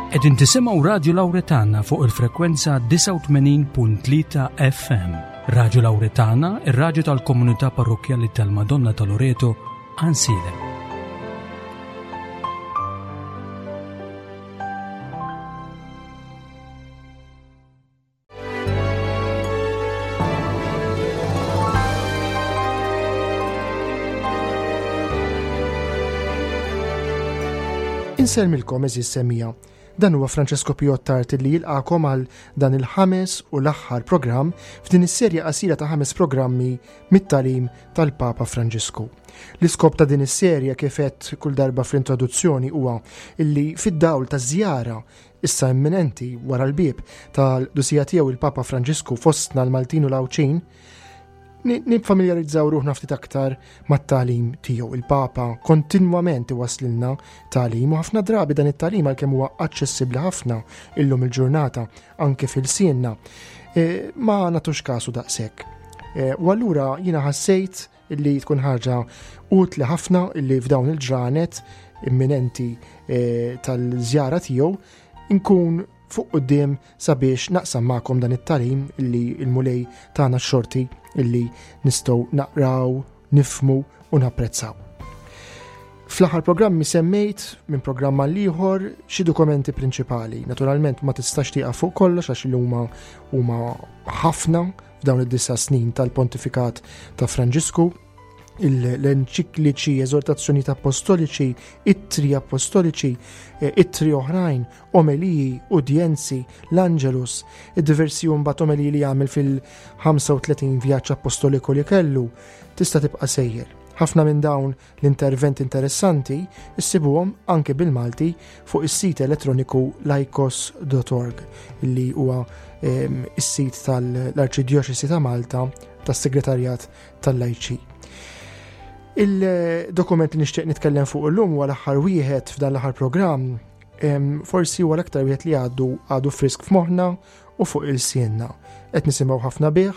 Qegħdin tisimgħu Radju Lawretana fuq il-frekwenza 89.3 FM. Radju Lawretana, ir-radju tal-komunità parrokkjali tal-Madonna ta' Loreto, Ansiedem. Insellmilkom eżis semija. Dan huwa Francesco Piottart li jilqakom għal dan il-ħames u l-aħħar programm f'din is-serje qasira ta' ħames programmi mit-talim tal-Papa Franġisku. L-iskop ta' din is-serje kif għedt kull darba fl-introduzzjoni huwa illi fid-dawl ta' żjara issa imminenti wara l-bieb tal-dusija tiegħu il-Papa Franġisku fostna l-Maltin u l-Għawdxin, nifamiljarizzaw ruħna ftit aktar mat-tagħlim tiegħu. Il-Papa kontinwament iwaslilna tagħlim u ħafna drabi dan it-tagħlim għalkemm huwa aċċessibbli ħafna illum il-ġurnata anke fil-sienna, e, ma nagħtux kasu daqshekk. E, u allura jiena ħassejt illi tkun ħaġa utli ħafna illi f'dawn il-ġranet imminenti eh, tal-żjara tiegħu nkun fuq quddiem sabiex naqsam magħkom dan it-talim illi l-Mulej tagħna x-xorti illi nistgħu naqraw, nifmu u napprezzaw. Fl-aħħar programmi semmejt minn programm għal ieħor xi dokumenti prinċipali. Naturalment ma tistax tieqaf fuq kollox għax huma huma ħafna F'dawn id-disa' snin tal-pontifikat ta' Franġisku, l-enċikliċi, eżortazzjonijiet apostoliċi, ittri apostoliċi, eh, ittri oħrajn, omeliji, udjenzi, l-Angelus, id-diversi mbagħad omeliji li għamel fil-35 vjaġġ apostoliku li kellu, tista' tibqa' sejjer. Ħafna minn dawn L-interventi interessanti issibuhom anke bil-Malti fuq is-sit elettroniku laikos.org li huwa ehm, is-sit tal-Arċidjoċesi ta' Malta tas-Segretarjat tal-Lajċi. Il-dokument li nixtieq nitkellem fuq illum huwa l-aħħar wieħed f'dan l-aħħar programm ehm, forsi huwa l-aktar wieħed li għadu għadu frisk f'moħħna u fuq il-sienna. Qed nisimgħu ħafna bih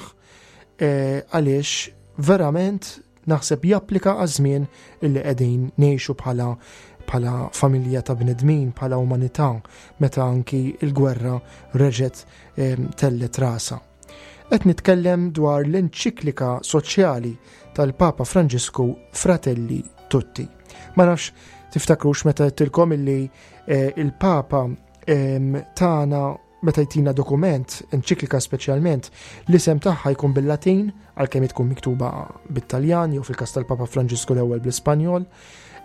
eh, għaliex verament naħseb japplika għaż-żmien illi qegħdin ngħixu bħala bħala familja ta' bnedmin, bħala umanità, meta anki il-gwerra reġgħet ehm, tellet rasa. Qed nitkellem dwar l-enċiklika soċjali tal-Papa Franġisku Fratelli Tutti. Ma nafx tiftakrux meta għedtilkom illi eh, il-Papa ehm, tagħna Meta jtina dokument, enċiklika speċjalment, l-isem tagħha jkun bil-Latin, għalkemm tkun miktuba bit-Taljan jew fil-każ tal-Papa Franġisku l-ewwel bl-Ispanjol,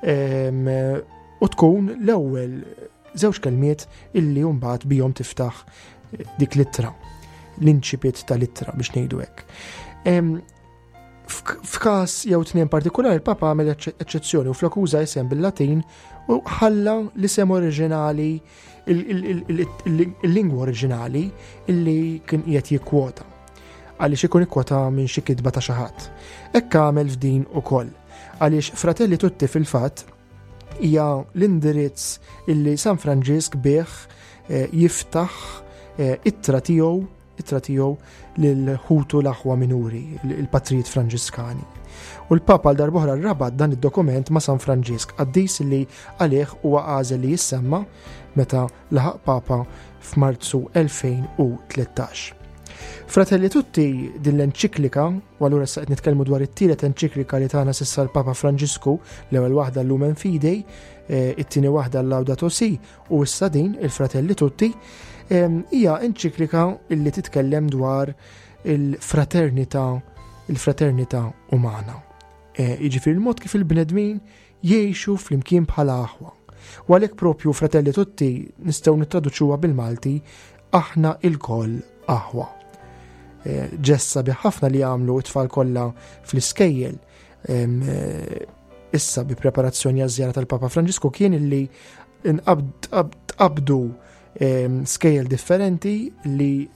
ehm, u tkun l-ewwel żewġ kelmiet illi mbagħad bihom tiftaħ dik l-ittra, l-inċipit tal-ittra biex ngħidu hekk. Ehm, F'każ jew tnejn partikolari il-Papa għamel eċċezzjoni u flok uża isem bil-Latin u ħalla l-isem oriġinali il-lingwa oriġinali illi kien qiegħed jikkwota għaliex ikun ikkwota minn xi kitba ta' xi ħadd. Hekk għamel f'din ukoll. Għaliex Fratelli Tutti fil-fatt hija l-indirizz illi San Franġisk bih eh, jiftaħ eh, ittra tiegħu ittra tiegħu lil ħutu l-aħwa minuri, il-patrijiet Franġiskani. U l-Papa għal darbohra rabat dan id-dokument ma' San Franġisk, qaddis li għalih huwa għażel li jissemma meta laħaq Papa f'Marzu 2013. Fratelli Tutti din l-enċiklika, u allura issa qed nitkellmu dwar it-tielet enċiklika li tagħna s'issa l-Papa Franġisku, l-ewwel waħda l-Lumen Fidei, eh, it-tieni waħda l-Laudato Si u issa din il-Fratelli Tutti, hija enċiklika illi titkellem dwar il-fraternità il-fraternità umana. Eh, jiġifieri il-mod kif il-bnedmin jgħixu flimkien bħala aħwa. U għalhekk propju Fratelli Tutti nistgħu nittraduċuha bil-Malti aħna ilkoll aħwa. Eh, ġessa bi ħafna li għamlu it-tfal kollha fl-iskejjel eh, issa bi preparazzjoni għaż-żjara tal-Papa Franġisku kien illi tqabdu skejjel differenti li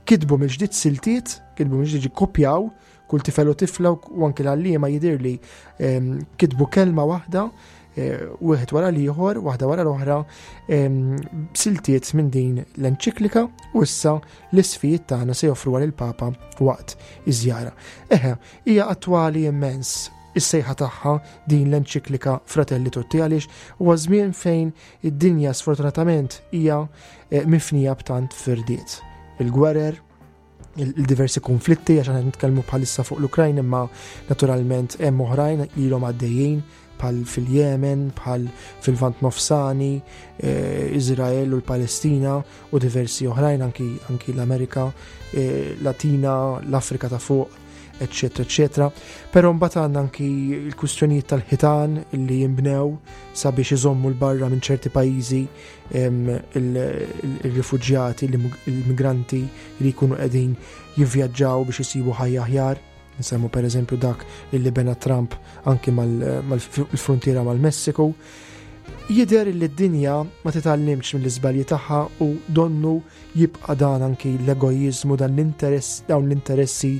kitbu mill-ġdid siltiet, kitbu mill-ġdid kopjaw kull tifel u tifla u anki l-għalliema jidirli kitbu kelma waħda eh, wieħed wara l-ieħor, waħda wara l-oħra, siltiet minn din l-enċiklika u issa l-isfijiet tagħna se joffru għal il-Papa waqt iż-żjara. Eħe, hija attwali immens. is-sejħa tagħha din l-enċiklika Fratelli Tutti għaliex huwa żmien fejn id-dinja sfortunatament hija eh, mifnija b'tant firdiet. Il-gwerer, il-diversi konflitti għax aħna nitkellmu bħalissa fuq l-Ukrajna imma naturalment hemm oħrajn ilhom għaddejjin bħal fil-Jemen, bħal fil-Vant Nofsani, eh, Izrael u l-Palestina u diversi oħrajn anki, anki l-Amerika eh, Latina, l-Afrika ta' fuq, eccetera, eccetera. Però mbagħad għandna anki l-kwistjonijiet tal-ħitan li jinbnew sabiex iżommu l-barra minn ċerti pajjiżi il-rifuġjati, il-migranti li jkunu qegħdin jivvjaġġaw biex isibu ħajja aħjar. Nsemmu per eżempju dak illi bena Trump anki mal-frontiera mal-Messiku. Jidher li d-dinja ma titgħallimx mill-iżbalji tagħha u donnu jibqa' dan anki l-egoiżmu, dan l-interess, dawn l-interessi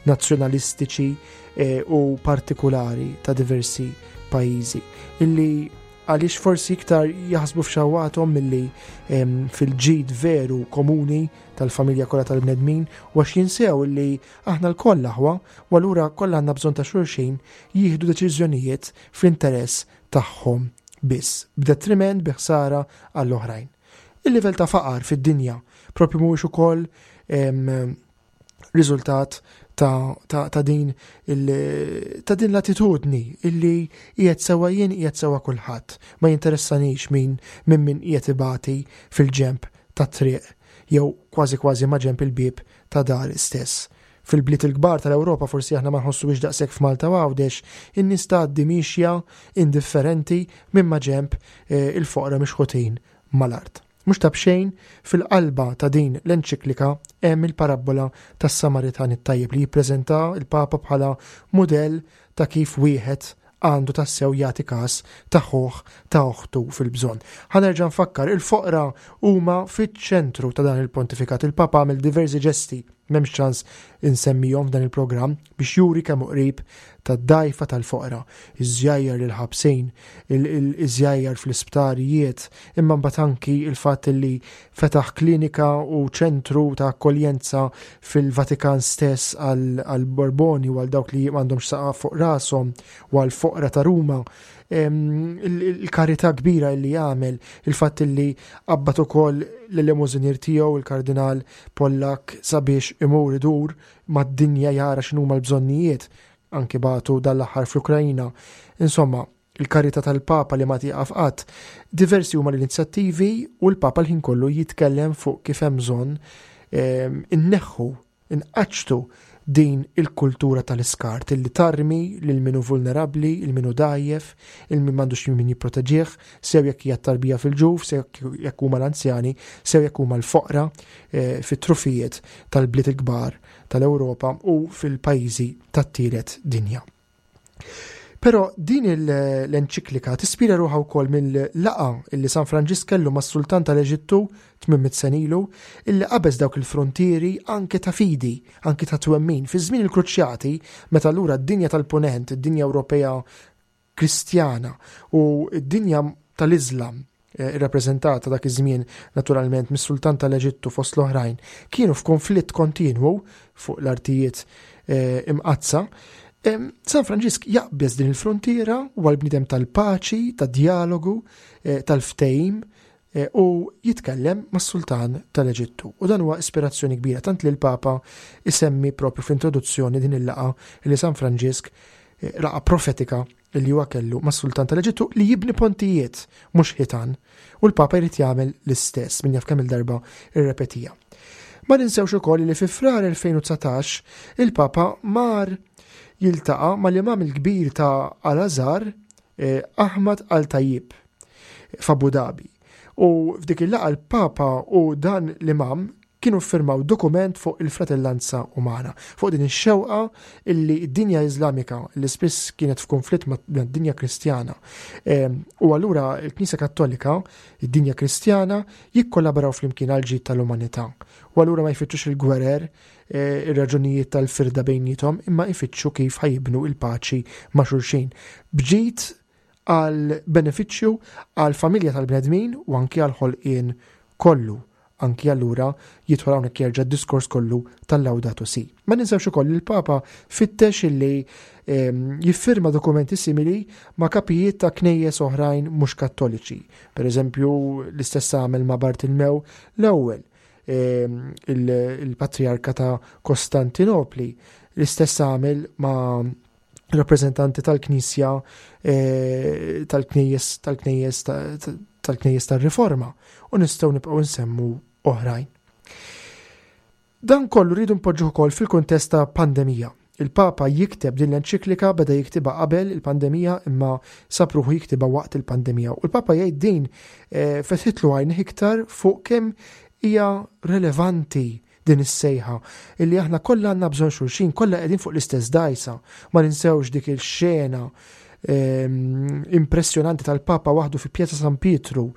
nazzjonalistiċi eh, u partikulari ta' diversi pajjiżi illi għaliex forsi iktar jaħsbu f'xawathom milli fil-ġid veru komuni tal-familja kollha tal-bnedmin u għax jinsew li aħna lkoll aħwa u allura kollha għandna bżonn ta' xulxin jieħdu deċiżjonijiet fl-interess tagħhom biss, b'detriment bi ħsara għall-oħrajn. Il-livell ta' faqar fid-dinja propju mhuwiex ukoll riżultat ta', ta, ta' din il, ta' din l-attitudni illi qiegħed sewa jien qiegħed sewa kulħadd. Ma jinteressanix min minn min qiegħed ibati fil-ġemp tat-triq jew kważi kważi ma' ġemp il-bieb ta' dar stess. Fil-bliet il-kbar tal-Ewropa forsi aħna ma nħossuhiex daqshekk f'Malta u Għawdex, in-nies tgħaddi miexja indifferenti minn ma' ġemp eh, il-foqra mixħutin mal-art. Mhux ta' b'xejn, fil-qalba ta' din l-enċiklika hemm il-parabbola tas-Samaritan it-Tajjeb li jippreżenta l-Papa bħala mudell ta' kif wieħed għandu tassew jagħti każ ta' ħuh ta' oħtu fil-bżonn. Ħa nerġa' nfakkar, il-foqra huma fiċ-ċentru ta' dan il-pontifikat. Il-Papa għamel diversi ġesti, m'hemmx ċans insemmihom f'dan il-programm, biex juri kemm hu qrib tad-dgħajfa tal-foqra, iż-żjajjar lill-ħabsin, iż-żjajjar fl-isptarijiet, imma mbagħad anki il-fatt li fetaħ klinika u ċentru ta' akkoljenza fil-Vatikan stess għall-Borboni u għal dawk li m'għandhomx saqaf fuq rashom u għall-foqra ta' Ruma. Il-karità kbira li għamel, il-fatt li qabbat ukoll l-elemosinier tiegħu il-Kardinal Pollak sabiex imur idur mad-dinja jara x'inhuma l-bżonnijiet, anki bagħtu dan l-aħħar fl-Ukrajna. Insomma, il-karità tal-Papa li ma tieqaf qatt. Diversi huma l-inizjattivi u l-Papa l-ħin kollu jitkellem fuq kif hemm bżonn ehm, inneħħu, inqaċċtu din il-kultura tal-iskart illi tarmi lil min hu vulnerabbli, il min hu dgħajjef, il min m'għandux min jipproteġih, sew jekk hija tarbija fil-ġuf, sew jekk huma l-anzjani, sew jekk huma l-foqra eh, fit-trufijiet tal-bliet il-kbar tal-Ewropa u fil-pajjiżi tat-tielet dinja. Però din l-enċiklika tispira ruħha wkoll mill-laqgħa illi San Franġisk kellu mas-Sultan tal-Eġittu 800 sena ilu, illi qabeż dawk il-frontieri anke ta' fidi, anke ta' twemmin. Fi żmien il-Kruċjati, meta allura d-dinja tal-Punent, id-dinja Ewropea Kristjana u d-dinja tal-Iżlam eh, irrappreżentata dak iż-żmien naturalment mis-Sultan tal-Eġittu fost l-oħrajn, kienu f'konflitt kontinwu fuq l-artijiet eh, imqaddsa. San Franġisk jaqbeż din il-frontiera u għal-bniedem tal-paċi, tad-dialogu, eh, tal-ftehim u jitkellem mas-sultan tal-Eġittu. U dan huwa ispirazzjoni kbira tant li l-Papa isemmi propju fl-introduzzjoni din il-laqa li San Franġisk laqgħa profetika li huwa kellu mas-sultan tal-Eġittu li jibni pontijiet mhux ħitan u l-Papa jrid jagħmel l-istess min jaf kemm il-darba irrepetija. Ma ninsewx ukoll li fi Frar 2019 il-Papa mar jiltaqa' mal-imam il-kbir ta' Al-Azhar eh, Ahmad Al-Tayyib f'Abu Dhabi. U f'dik il-laqgħa l-Papa u dan l-imam kienu ffirmaw dokument fuq il-fratellanza umana, fuq din ix-xewqa illi d-dinja Iżlamika li spiss kienet f'konflitt mad-dinja Kristjana. Ehm, u allura l-Knisja Kattolika, id-dinja Kristjana, jikkollaboraw flimkien għal ġid tal-umanità. U allura ma jfittxux il-gwerer, eh, ir-raġunijiet tal-firda bejnietom, imma jfittxu kif ħajibnu il-paċi ma' xulxin. Bġid għal benefiċċju għal familja tal-bnedmin u anki għal ħolqien kollu. Anki allura jidħol hawnhekk jerġa' d-diskors kollu tal-Laudato Si. Ma ninsewx ukoll li l-Papa fittex illi ehm, jiffirma dokumenti simili ma' kapijiet ta' knejjes oħrajn mhux kattoliċi. Per eżempju, l-istess għamel ma' Bartilmew l-ewwel ehm, il-Patriarka ta' Kostantinopli, l-istess għamel ma' rappreżentanti tal-Knisja eh, tal-Knejjes tal-Knejjes tal-Knejjes tar-Riforma u nistgħu nibqgħu nsemmu oħrajn. Dan kollu rridu npoġġuh ukoll fil-kuntest ta' pandemija. Il-Papa jikteb din l-enċiklika beda jiktibha qabel il-pandemija imma sab ruħu jiktibha waqt il-pandemija. U l-Papa jgħid din eh, fetħitlu għajnih iktar fuq kemm hija relevanti din is-sejħa illi aħna kollha għandna bżonn xulxin, kollha qegħdin fuq l-istess dgħajsa. Ma ninsewx dik il-xena ehm, impressjonanti tal-Papa waħdu fi Pjazza San Pietru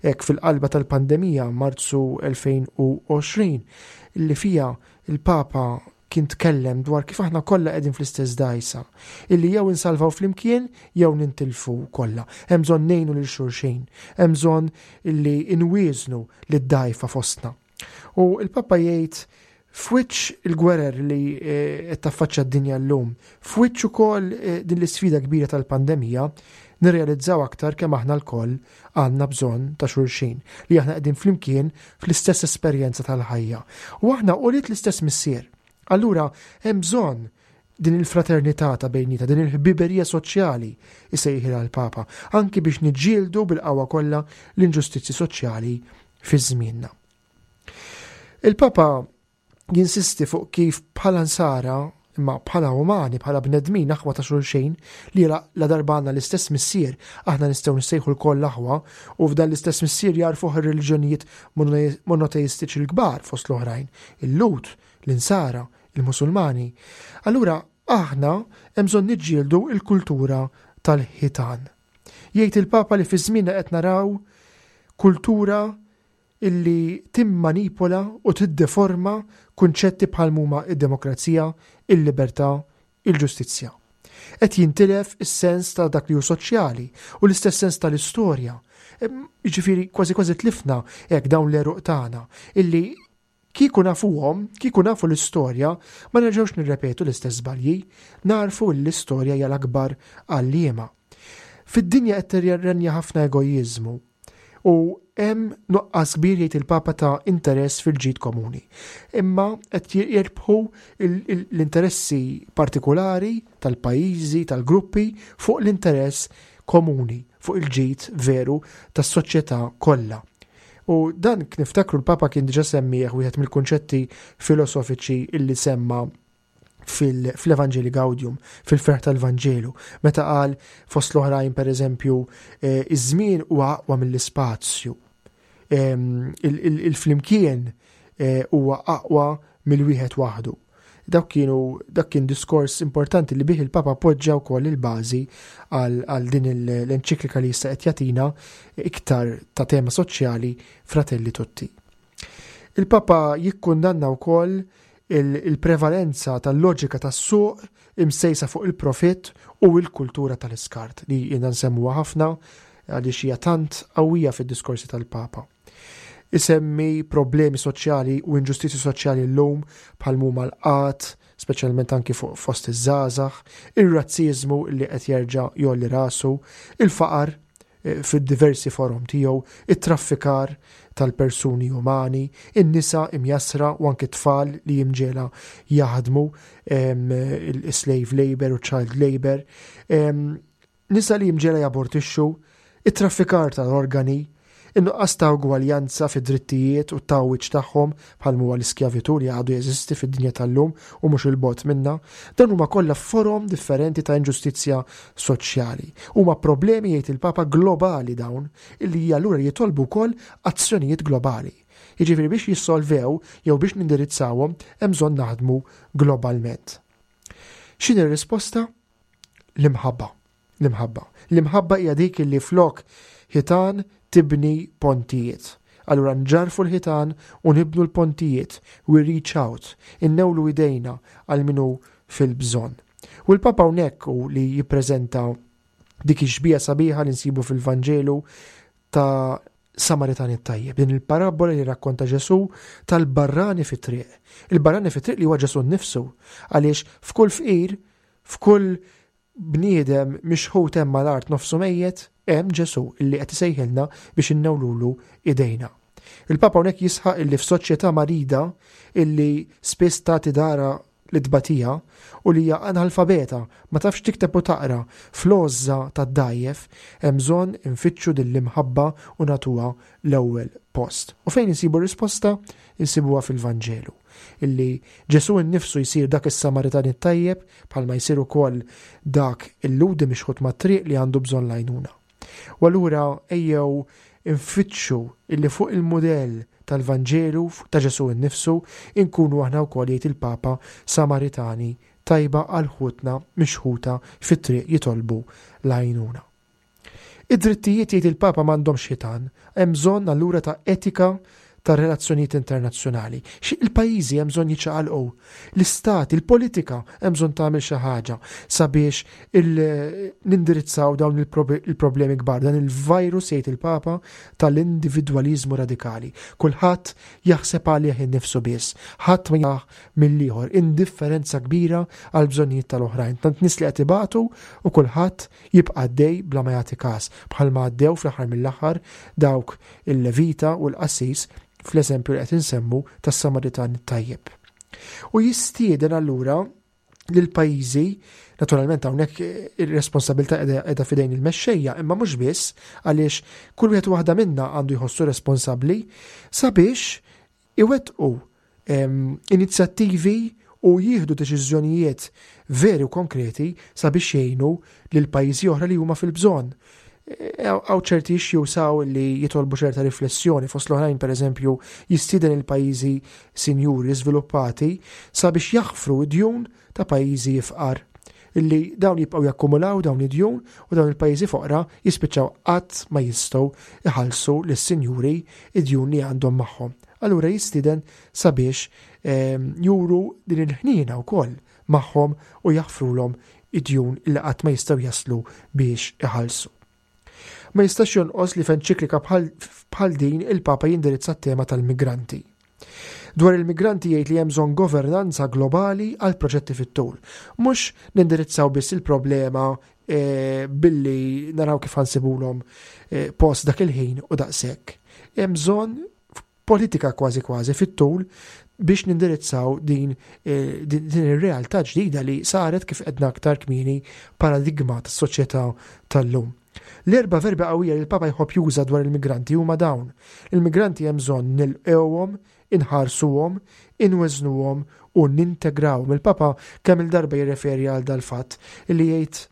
hekk fil-qalba tal-pandemija Marzu 2020 illi fija il-Papa kien tkellem dwar kif aħna kollha qegħdin fl-istess dgħajsa, illi jew insalvaw flimkien jew nintilfu kollha. Hemm bżonn ngħinu lil xulxin, hemm bżonn illi inwieżnu lid-dgħajfa fostna. U il-Papa jgħid f'wiċċ il-gwerer li eh, qed taffaċċja d-dinja llum, f'wiċċ ukoll eh, din l-isfida kbira tal-pandemija, nirrealizzaw aktar kemm aħna lkoll għandna bżonn ta' xulxin, li aħna qegħdin flimkien fl-istess esperjenza tal-ħajja. U aħna ulied l-istess missier. Allura hemm bżonn din il-fraternità ta' bejnietna, din il-ħbiberija soċjali, isejħilha l-Papa, anki biex niġġieldu bil-qawwa kollha l-inġustizzji soċjali fi żmienna. Il-Papa jinsisti fuq kif bħala nsara imma bħala umani, bħala bnedmin aħwa ta' xulxin, li la darba għandna l-istess missier, aħna nistgħu nissejħu lkoll aħwa, u f'dan l-istess missier jarfuh ir-reliġjonijiet monoteistiċi l-kbar fost l-oħrajn, il-Lhud, l-Insara, il-Musulmani. Allura aħna hemm bżonn niġġieldu l-kultura tal-ħitan. Jgħid il-Papa li fi żmienna qed naraw kultura illi timmanipola u tiddeforma kunċetti bħal m'huma d-demokrazija, il-libertà, il-ġustizzja. Qed jintilef is-sens ta' dak li hu soċjali u l-istess sens tal-istorja. Jiġifieri kważi kważi tlifna hekk dawn l-għeruq tagħna illi Kieku nafuhom, kieku nafu l-istorja, ma nerġgħux nirrepetu l-istess żbalji. Nagħrfu li l-istorja hija l-akbar għalliema. Fid-dinja qed tirrenja ħafna egoiżmu u hemm nuqqas kbir jgħid il-Papa ta' interess fil-ġid komuni. Imma qed jirbħu l-interessi partikulari tal-pajjiżi, tal-gruppi fuq l-interess komuni, fuq il-ġid veru tas-soċjetà kollha. U dan niftakru l-Papa kien diġa semmieħ wieħed mill-kunċetti filosofiċi illi semma fil-Evanġeli Gaudium, fil-ferħ tal-Vanġelu, meta qal fost l-oħrajn per eżempju, eh, iż-żmien huwa aqwa mill-ispazju. Ehm, il-flimkien eh, huwa aqwa mill-wieħed waħdu. Dak kienu dak kien diskors importanti li bih il-Papa poġġa wkoll il-bażi għal din l-enċiklika li issa qed jagħtina iktar ta' tema soċjali Fratelli Tutti. Il-Papa jikkundanna wkoll il-prevalenza tal-loġika tas-suq imsejsa fuq il-profitt u l-kultura tal-iskart li jiena nsemmuha ħafna għaliex hija tant qawwija fid-diskorsi tal-Papa. Isemmi problemi soċjali u inġustizzji soċjali llum bħal m'huma l-qgħad, speċjalment anki fuq fost iż-żgħażagħ, ir-razziżmu li qed jerġa' jgħolli rasu, il-faqar eh, fid-diversi forom tiegħu, it-traffikar tal-persuni umani, in-nisa imjassra u anki tfal li jimġela jaħdmu il-slave labor u child labor, Nisa li mġiegħla jabortixxu, it-traffikar tal-organi, in-nuqqas ta' ugwaljanza fid-drittijiet u t-tgħawwiġ tagħhom bħal m'huwa l-iskjavitù li għadu jeżisti fid-dinja tal-lum u mhux 'il bogħod minna, dawn huma kollha forom differenti ta' inġustizzja soċjali. Huma problemi jgħid il-Papa globali dawn illi allura jitolbu wkoll azzjonijiet globali. Jiġifieri biex jissolvew jew biex nindirizzawhom hemm bżonn naħdmu globalment. X'inhi r-risposta? L-imħabba. L-imħabba. L-imħabba hija dik li flok ħitan tibni pontijiet. Allura nġarfu l-ħitan u nibnu l-pontijiet, we reach out, innewlu idejna għal minu fil-bżonn. U l-Papa hawnhekk u li jippreżenta dik ix-xbieha sabiħa li nsibu fil-Vanġelu ta' Samaritan it-tajjeb, din il-parabbola li rakkonta Ġesù tal-barrani fit-triq. Il-barrani fit-triq li huwa Ġesù nnifsu, għaliex f'kull fqir, f'kull bniedem mixħut hemm mal-art nofsu mejjet, hemm Ġesù illi qed isejħilna biex innewlulu idejna. Il-Papa hawnhekk jisħaq illi f'soċjetà marida illi spiss tagħti dara lit-tbatija u li hija analfabeta, ma tafx tikteb u taqra, fl-għożża tad-dgħajjef, hemm bżonn infittxu din l-imħabba u nagħtuha l-ewwel post. U fejn insibu r-risposta? Insibuha fil-Vanġelu, illi Ġesù nnifsu jsir dak is-Samaritan it-tajjeb bħalma jsir ukoll dak il-Lhudi mixħut mat-triq li għandu bżonn l-għajnuna. U allura ejjew infittxu illi fuq il-mudell tal-Vanġelu ta' Ġesù nnifsu inkunu aħna wkoll jgħid il-Papa Samaritani tajba għal ħutna mixħuta fit-triq jitolbu l-għajnuna. Id-drittijiet jgħid il-Papa m'għandhomx ħitan, hemm bżonn allura ta' etika ta' relazzjonijiet internazzjonali. Xi il-pajjiżi hemm bżonn jiċċaqalqu. L-istati, il-politika hemm bżonn tagħmel xi ħaġa sabiex nindirizzaw dawn il-problemi kbar, dan il-virus jgħid il-Papa tal-individwaliżmu radikali. Kulħadd jaħseb għalih innifsu biss, ħadd ma jaħ mill-ieħor, indifferenza kbira għal bżonnijiet tal-oħrajn. Tant nies li qed ibatu u kulħadd jibqa' għaddej bla ma jagħti każ, bħalma għaddew fl-aħħar mill-aħħar dawk il-Levita u l-qassis fl-eżempju li qed insemmu tas-Samaritan it-tajjeb. U jistieden allura lill-pajjiżi, naturalment hawnhekk ir-responsabilità qiegħda f'idejn il-mexxejja, imma mhux biss għaliex kull wieħed waħda minna għandu jħossu responsabbli sabiex iwettqu inizjattivi u jieħdu deċiżjonijiet veri u konkreti sabiex jgħinu lil pajjiżi oħra li huma fil-bżonn. Hawn ċerti issues hawn li jitolbu ċerta riflessjoni fost l-oħrajn pereżempju jistieden il-pajjiżi sinjuri żviluppati sabiex jaħfru d-djun ta' pajjiżi ifqar illi dawn jibqgħu jakkumulaw dawn id-djun u dawn il-pajjiżi foqra jispiċċaw qatt ma jistgħu iħallsu lis-sinjuri id-djun li għandhom magħhom. Allura jistieden sabiex ehm, juru din il-ħniena wkoll magħhom u jaħfrulhom id-djun li qatt ma jistgħu jaslu biex iħallsu. Ma jistax jonqos li f'enċiklika bħal din il-Papa jindirizza t-tema tal-migranti. Dwar il-migranti jgħid li hemm bżonn governanza globali għal proġetti fit-tul. Mhux nindirizzaw biss il-problema e, billi naraw kif ħansibulhom e, post dak il-ħin u daqshekk. Hemm bżonn politika kważi kważi fit-tul biex nindirizzaw din, eh, din, din ir-realtà ġdida li saret kif edna aktar kmieni paradigma tas-soċjetà tal-lum. L-erba' verbi qawwija li l-Papa jħobb juża dwar il-migranti huma dawn. Il-migranti hemm bżonn nilqewhom, inħarsuhom, inweżnuhom u nintegrawhom. Il-Papa kemm il-darba jirreferi għal dal-fatt li jgħid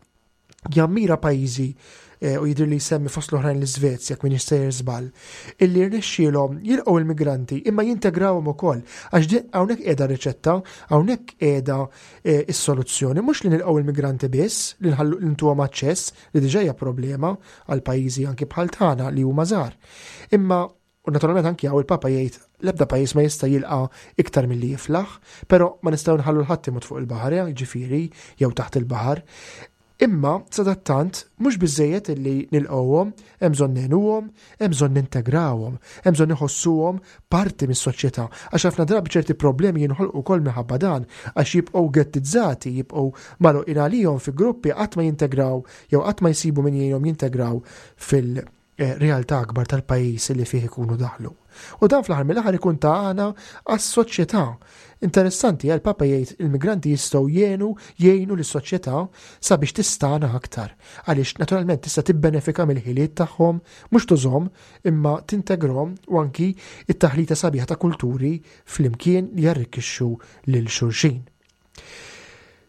jammira pajjiżi eh, u jidher li jsemmi fost l-oħrajn l-Iżvezja jekk m'iniex sejjer żball, illi rnexxielhom jilqgħu il-migranti imma jintegrawhom ukoll għax hawnhekk qiegħda riċetta, hawnhekk qiegħda eh, is-soluzzjoni, mhux li nilqgħu il-migranti biss, li nħallu ntuhom aċċess li diġà hija problema għal pajjiżi anki bħal tagħna li huma żgħar. Imma U naturalment anki hawn il-Papa jgħid l-ebda pajjiż ma jista' jilqa' iktar milli jiflaħ, però ma nistgħu nħallu l-ħadd imut fuq il-baħar, eh, jiġifieri jew taħt il-baħar. Imma sadattant mhux biżejjed illi nilqgħuhom, hemm bżonn ngħinuhom, hemm bżonn nintegrawhom, hemm bżonn iħossuhom parti mis-soċjetà. Għax ħafna drabi ċerti problemi jinħolqu wkoll minħabba dan, għax jibqgħu ghettizzati, jibqgħu magħluqin għalihom fi gruppi qatt ma jintegraw jew qatt ma jsibu min jgħinhom jintegraw fil- Eh, realtà akbar tal-pajjiż li fih ikunu daħlu. U dan fl-aħħar mill-aħħar ikun ta' għana għas-soċjetà. Interessanti, għal Papa jgħid il-migranti jistgħu jgħinu jgħinu lis-soċjetà sabiex tistana aktar. Għaliex naturalment tista' tibbenefika mill-ħiliet tagħhom, mhux tużhom, imma tintegrhom u anki it-taħlita sabiħa ta' kulturi flimkien li jarrikkixxu lil xulxin.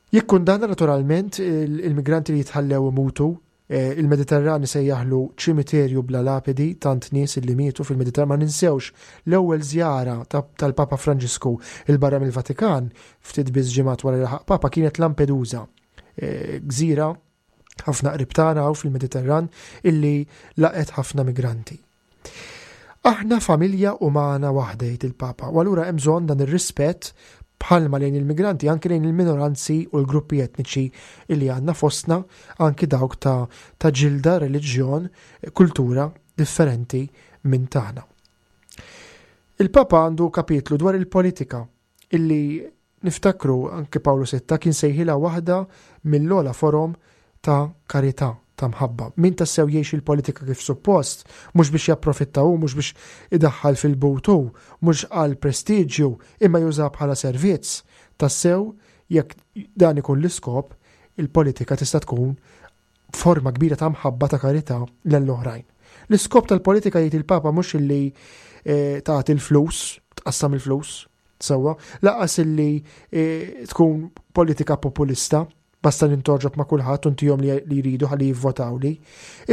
Jikkundanna naturalment il-migranti li jitħallew imutu Eh, il-Mediterran isejjaħlu ċimiterju bla lapidi tant nies li mietu fil-Mediterran ma ninsewx l-ewwel żjara tal-Papa Franġisku il barra mill-Vatikan ftit biss ġimgħat wara li laħaq Papa kienet Lampedusa. Eh, gżira ħafna qrib tagħna fil-Mediterran illi laqet ħafna migranti. Aħna familja umana waħda jgħid il-Papa, u allura hemm bżonn dan ir-rispett bħalma lejn il-migranti anki lejn il-minoranzi u l-gruppi etniċi li għandna fostna anki dawk ta', ta ġilda, reliġjon, kultura differenti minn tagħna. Il-Papa għandu kapitlu dwar il-politika illi niftakru anke Pawlu Sitta kien sejħilha waħda mill-ogħla forom ta' karità, ta' mħabba. Min tassew jgħix il-politika kif suppost, mhux biex japprofitta hu, mhux biex idaħħal fil-but hu, mhux għal prestiġju, imma juża bħala servizz. Tassew, jekk dan ikun l-iskop, il-politika tista' tkun forma kbira ta' mħabba ta' karità lell-oħrajn. L-iskop tal-politika jgħid il-Papa mhux illi eh, tagħti l-flus, tqassam il-flus, sewwa, laqas illi eh, tkun politika populista, basta nintoġob ma' kulħadd u ntihom li jridu ħalli jivvotawli,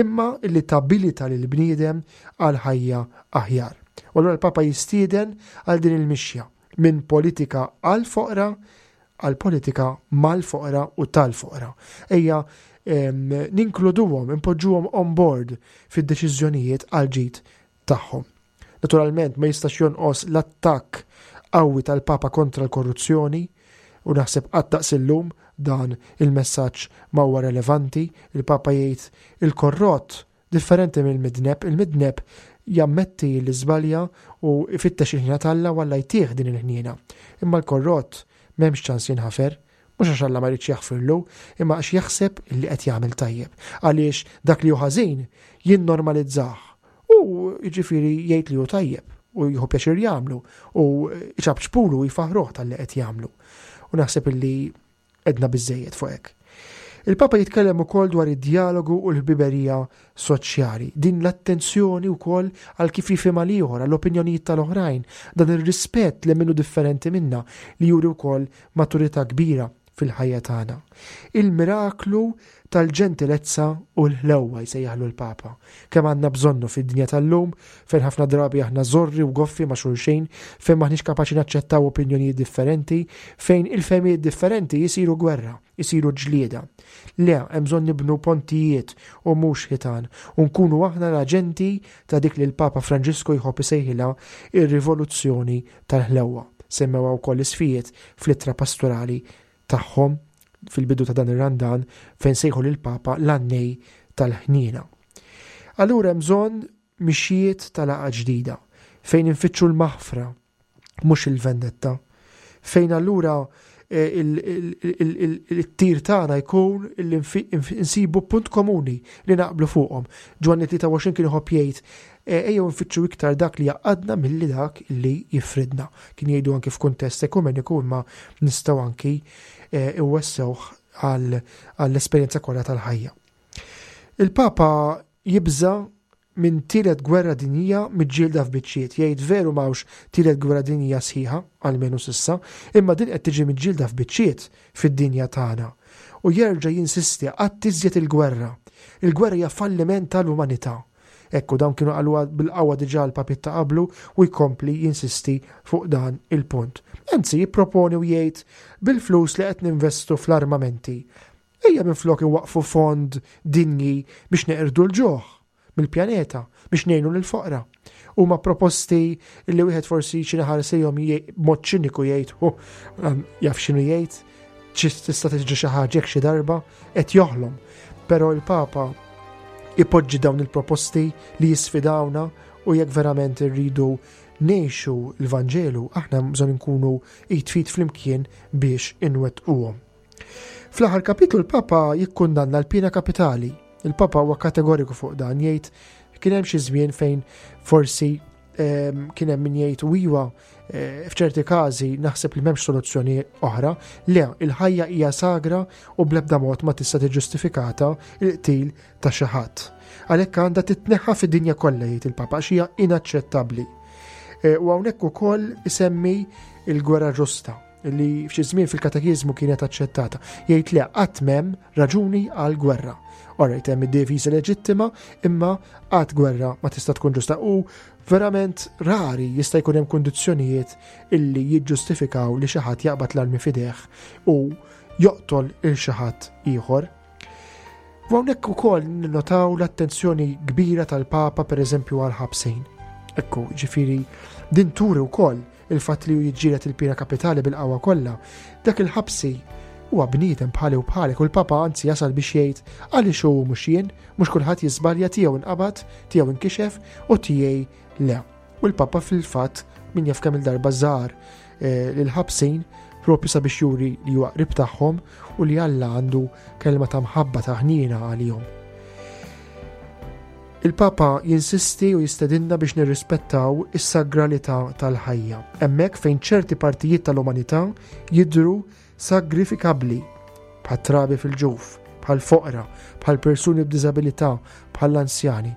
imma illi tabilita lil bniedem għal ħajja aħjar. U allura l-Papa jistieden għal din il-mixja minn politika għal foqra għal politika mal-foqra u tal-foqra. Ejja ninkluduhom, impoġġuhom on board fid-deċiżjonijiet għal ġid tagħhom. Naturalment ma jistax jonqos l-attakk qawwi tal-Papa kontra l-korruzzjoni u naħseb qatt daqs illum dan il-messaġġ ma huwa relevanti. Il-Papa jgħid il-korrott Differenti mill-midneb, il-midneb jammetti li żbalja u jfittex il-ħniena t'Alla u Alla jtih din il-ħniena. Imma l-korrott m'hemmx ċans jinħafer. Mhux għax Alla ma jridx jaħfirlu, imma għax jaħseb li qed jagħmel tajjeb. Għaliex dak li hu ħażin jinnormalizzah u jiġifieri jgħid li hu tajjeb u jieħu pjaċir jagħmlu u jċapċpulu u jfaħruh talli qed jagħmlu. U naħseb illi Għedna biżżejjed fuq hekk. Il-Papa jitkellem ukoll dwar id-djalogu u l-ħbiberija soċjali, din l-attenzjoni wkoll għal kif jifhimha l-ieħor, għall-opinjonijiet tal-oħrajn, dan ir-rispett li minnu differenti minna li juri wkoll maturità kbira fil-ħajja tagħna. Il-miraklu tal-ġentilezza u l-ħlewwa jsejjaħlu l-Papa. Kemm għandna bżonnu fid-dinja tal-lum fejn ħafna drabi aħna żorri u goffi ma' xulxin, fejn m'aħniex kapaċi naċċettaw opinjonijiet differenti, fejn il-fehmiet differenti jisiru gwerra, jisiru ġlieda. Le, hemm bżonn nibnu pontijiet u mhux ħitan u nkunu aħna l-aġenti ta' dik li l-Papa Franġisku jħobb isejħilha ir-rivoluzzjoni tal-ħlewwa. Semmewha wkoll l-isfijiet fl-ittra pastorali tagħhom fil-bidu ta' dan ir-Randan fejn sejħu lill-Papa l-għannej tal-ħniena. Allura hemm bżonn mixjiet ta' laqgħa ġdida fejn infittxu l-maħfra mhux il-vendetta. Fejn allura eh, il-tir tagħna jkun li nsibu punt komuni li naqblu fuqhom. Ġwanni 23 kien iħobb jgħid E, ejjew nfittxu iktar dak li jaqadna milli dak li jifridna. Kien jgħidu anki f'kuntest ekumeniku imma nistgħu anki e, iwessewh għall-esperjenza kollha tal-ħajja. Il-Papa jibża minn tielet gwerra dinjija miġġielda f'biċċiet. Jgħid veru m'hawnx tielet gwerra dinjija sħiħa, almenu s'issa, imma din qed tiġi miġġielda f'biċċiet fid-dinja tagħna. U jerġa' jinsisti qatt iżjed il-gwerra. Il-gwerra hija falliment tal-umanità. Ekku, dawn kienu qaluha bil-qawwa diġà l-papiet ta' qablu u jkompli jinsisti fuq dan il-punt. Anzi, jipproponi u jgħid bil-flus li qed ninvestu fl-armamenti. Ejja minflok inwaqqfu fond dinji biex neqirdu l-ġuħ mill-pjaneta biex ngħinu lill-foqra. Huma proposti li wieħed forsi xi ħares lejhom b'mod ċiniku jgħid jaf x'inhu jgħid, tista' tiġri xi ħaġa xi darba qed joħlom. Però il-Papa ipoġġi dawn il-proposti li jisfidawna u jekk verament irridu ngħixu l-Vanġelu, aħna bżonn nkunu id fit flimkien biex inwettquhom. Fl-aħħar kapitlu l-Papa jikkundanna l-pina kapitali. Il-Papa huwa kategoriku fuq dan jgħid kien hemm xi żmien fejn forsi ehm, kien hemm min jgħid u iwa eh, f'ċerti każi naħseb li m'hemmx soluzzjoni oħra. Le, il-ħajja hija sagra u bl-ebda mod ma tista' tiġġustifikata il-qtil ta' xi ħadd. Għalhekk għandha titneħħa fid-dinja kollha jgħid il-Papa għax hija inaċċettabbli. Eh, u hawnhekk ukoll isemmi il-gwerra ġusta li f'xi żmien fil-katekiżmu kienet aċċettata. Jgħid le qatt m'hemm raġuni għal gwerra. Alright, hemm id-difiża leġittima, imma qatt gwerra ma tista' tkun ġusta u verament rari jista' jkun hemm kundizzjonijiet illi jiġġustifikaw li xi ħadd jaqbad l-armi f'idejh u joqtol il xi ħadd ieħor. U hawnhekk ukoll ninnotaw l-attenzjoni kbira tal-Papa pereżempju għal ħabsin. Ekku, ġifieri din turi wkoll il-fatt li hu jiġġieled il-pena kapitali bil-qawwa kollha. Dak il-ħabsi Huwa bniedem bħali u bħalek u l-Papa anzi jasal biex jgħid għaliex hu mhux jien, mhux kulħadd jiżbalja tiegħu inqabad, tiegħu inkixef u tiegħi le. U l-Papa fil-fatt min jaf kemm il-darba żar eh, lil-ħabsin propju sabiex juri li huwa qrib tagħhom u li Alla għandu kelma ta' mħabba ta' ħniena għalihom. Il-Papa jinsisti u jistedinna biex nirrispettaw is-sagralità tal-ħajja, hemmhekk fejn ċerti partijiet tal-umanità jidhru sagrifikabbli, bħat-trabi fil-ġuf, bħall-foqra, bħal persuni b'diżabilità, bħall-anzjani.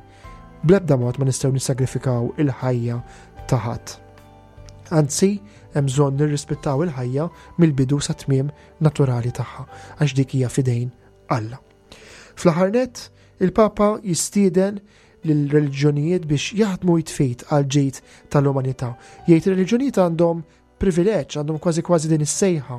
Bl-ebda mod ma nistgħu nissagrifikaw il-ħajja ta' ħadd. Anzi, hemm bżonn nirrispettaw il-ħajja mill-bidu sa tmiem naturali tagħha, għax dik hija fidejn Alla. Fl-aħħar nett, il-Papa jistieden lill-reliġjonijiet biex jaħdmu jitfit għal ġid tal-umanità. Jgħid ir-reliġjonijiet għandhom privileġġ, għandhom kważi kważi din is-sejħa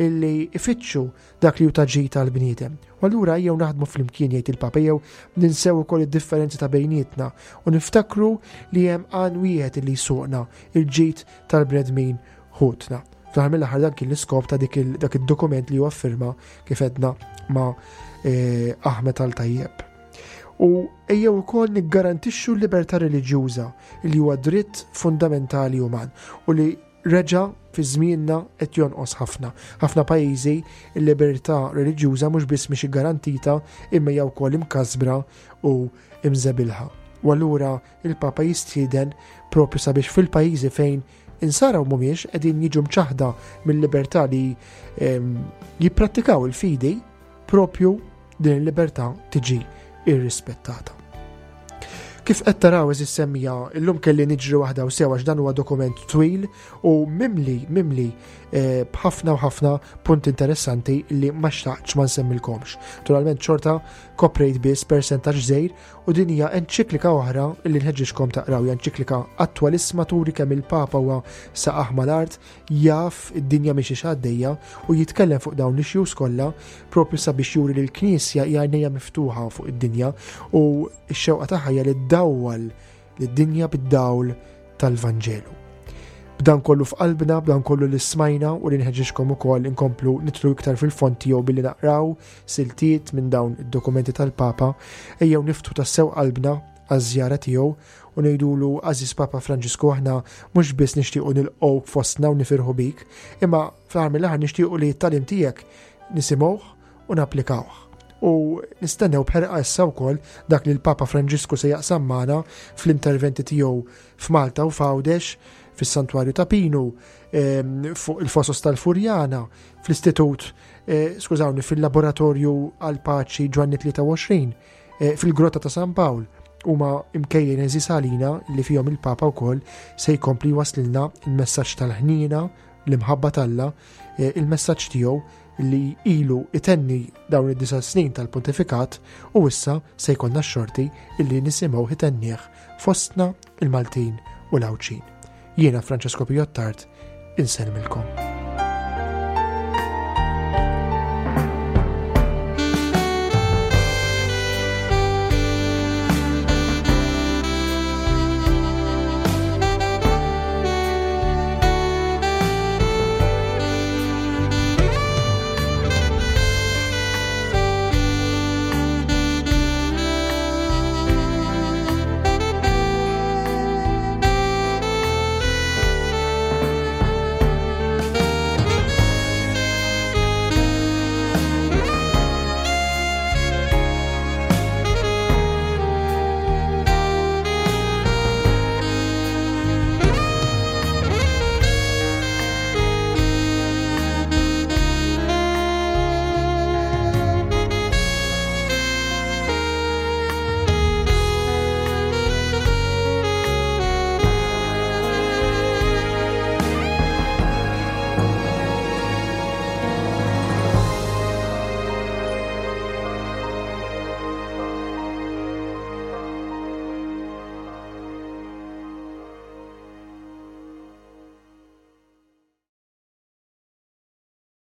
illi ifittxu dak li hu ta' ġid għall-bniedem. U allura jew naħdmu flimkien jgħid il-Papa jew ninsew ukoll id-differenzi ta' bejnietna u niftakru li hemm għan wieħed illi jsuqna il-ġid tal-bnedmin ħutna. Fl-aħħar mill-aħħar dan kien l-iskop ta' dak id-dokument li huwa firma kif edna ma' eh, Ahmed Al-Tajjeb. U ejjew ukoll niggarantixxu l-libertà reliġjuża li huwa dritt fundamentali uman u li reġa' fi żmienna qed jonqos ħafna. Ħafna pajjiżi l-libertà reliġjuża mhux biss mhix iggarantita imma hija wkoll imkasbra u imżebilħa. U allura il-Papa jistieden propju sabiex fil-pajjiżi fejn Insara u mhumiex qegħdin jiġu mċaħda mill-libertà li ehm, jipprattikaw il-fidi, propju din il-libertà tiġi irrispettata. Kif qed taraw eżis semmija, illum kelli niġri waħda u sew għax dan huwa dokument twil u mimli mimli eh, b'ħafna u ħafna punti interessanti li ma xtaqtx ma nsemmilkomx. Naturalment xorta koprejt biss persentaġġ żgħir U din hija enċiklika oħra li nħeġġiġkom taqraw, hija enċiklika attwalissima turi kemm il-Papa huwa saqah mal-art, jaf id-dinja mhix għaddejja u jitkellem fuq dawn l-issues kollha propju sabiex juri li l-Knisja hija għajnejja miftuħa fuq id-dinja u x-xewqa tagħha hija li ddawwal lid-dinja bid-dawl tal-Vanġelu. B'dan kollu f'qalbna, b'dan kollu li smajna u li nħeġġiġkom ukoll inkomplu nitlu iktar fil-fond tiegħu billi naqraw siltiet minn dawn id-dokumenti tal-Papa, ejjew niftħu tassew qalbna għaż-żjara tiegħu u ngħidulu għażiż Papa Franġisku aħna mhux biss nixtiequ nilqgħuk fostna u nifirħu bik, imma fl-aħħar mill-aħħar nixtiequ li t-tagħlim tiegħek nisimgħuh u napplikawh. U nistennew b'ħerqa issa wkoll dak li l-Papa Franġisku se jaqsam magħna fl-interventi tiegħu f'Malta u f'Għawdex, fis-Santwarju ta' Pinu, ehm, fuq il-Fosos tal-Furjana, fl-Istitut, eh, skużawni, fil-Laboratorju għal-Paċi Ġwanni 23, eh, fil-Grotta ta' San Pawl huma imkejjen eżis għalina li fihom il-Papa wkoll se jkompli waslilna il-messaġġ tal-ħniena, l-imħabba t'Alla, eh, il-messaġġ tiegħu li ilu itenni dawn id-disa' snin tal-pontifikat u issa se jkollna x-xorti illi nisimgħu itennih fostna il-Maltin u l-Għawdxin. Jiena Francesco Piottart, insellmilkom.